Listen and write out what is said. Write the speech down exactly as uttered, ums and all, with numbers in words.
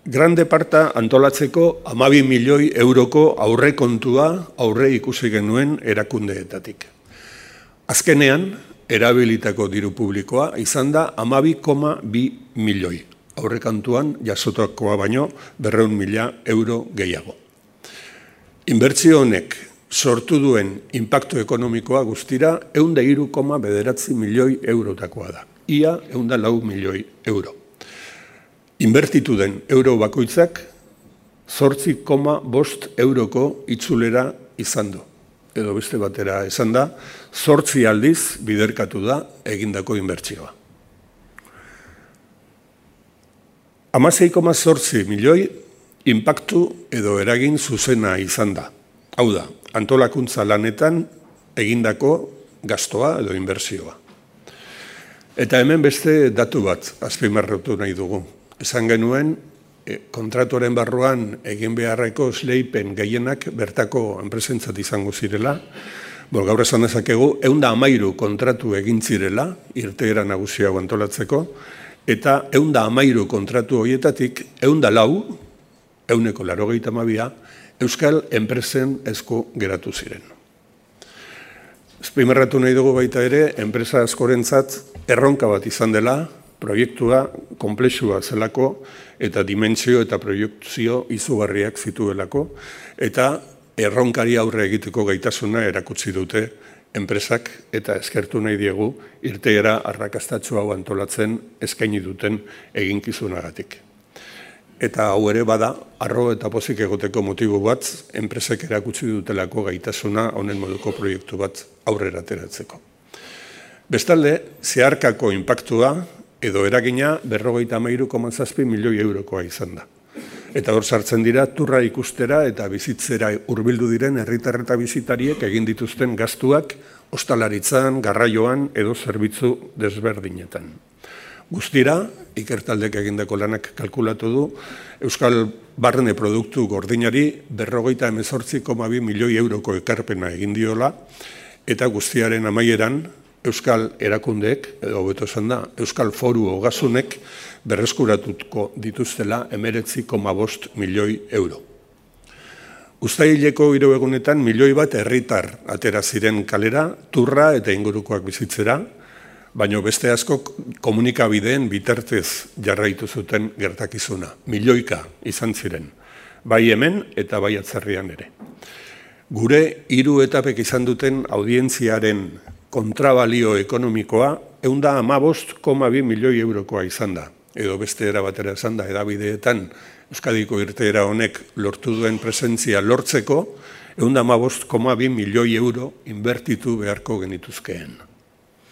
Grande Parta antolatzeko hamabi milioi euroko aurrekontua aurre ikusi genuen erakundeetatik. Azkenean, erabilitako diru publikoa izan da hamabi koma bi milioi. Aurrekontuan jasotakoa baino berrehun mila euro gehiago. Inbertsio honek sortu duen inpaktu ekonomikoa guztira ehun eta hiru koma bederatzi milioi eurotakoa da. Ia ehun eta lau milioi euro. Inbertitu den euro bakoitzak zortzi koma bost euroko itzulera izan du. Edo beste batera esan da, zortzi aldiz biderkatu da egindako inbertsioa. hamasei koma zortzi milioi inpaktu edo eragin zuzena izan da. Hau da, antolakuntza lanetan egindako gastoa edo inbertsioa. Eta hemen beste datu bat azpimarratu nahi dugu. Esan genuen, kontratuaren barruan egin beharreko esleipen gehienak bertako enpresentzat izango zirela. Bo, gaur esan dezakegu, ehun eta hamairu kontratu egin zirela, irteera nagusia hau antolatzeko, eta ehun eta hamairu kontratu horietatik, ehun eta lau, ehuneko laurogeita hamabia, euskal enpresen esku geratu ziren. Azpimarratu nahi dugu baita ere, enpresa askorentzat erronka bat izan dela, proiektua konplexua zelako eta dimentsio eta proiektzio izugarriak zituelako eta erronkari aurre egiteko gaitasuna erakutsi dute enpresak eta eskertu nahi diegu irteera arrakastatsu hau antolatzen eskaini duten eginkizunagatik. Eta hau ere bada, harro eta pozik egoteko motibo bat enpresek erakutsi dutelako gaitasuna honen moduko proiektu bat aurrera ateratzeko. Bestalde, zeharkako inpaktua edo eragina berrogeita hamairu koma zazpi milioi eurokoa izan da. Eta hor sartzen dira turra ikustera eta bizitzera hurbildu diren herritar eta bizitariek egin dituzten gastuak ostalaritzan, garraioan edo zerbitzu desberdinetan. Guztira, ikertaldek egindako lanak kalkulatu du, Euskal Barne Produktu Gordinari berrogeita hemezortzi koma bi milioi euroko ekarpena egin diola, eta guztiaren amaieran, Euskal erakundeek, edo hobeto esan da, Euskal Foru Ogasunek berreskuratuko dituztela hemeretzi koma bost milioi euro. Uztaileko hiru egunetan milioi bat herritar atera ziren kalera, turra eta ingurukoak bizitzera, baino beste askok komunikabideen bitartez jarraitu zuten gertakizuna. Milioika izan ziren, bai hemen eta bai atzerrian ere. Gure hiru etapek izan duten audientziaren kontrabalio ekonomikoa ehun eta hamabost koma bi milioi eurokoa izan da. Edo beste era batera esan da, hedabideetan Euskadiko irteera honek lortu duen presentzia lortzeko ehun eta hamabost koma bi milioi euro inbertitu beharko genituzkeen.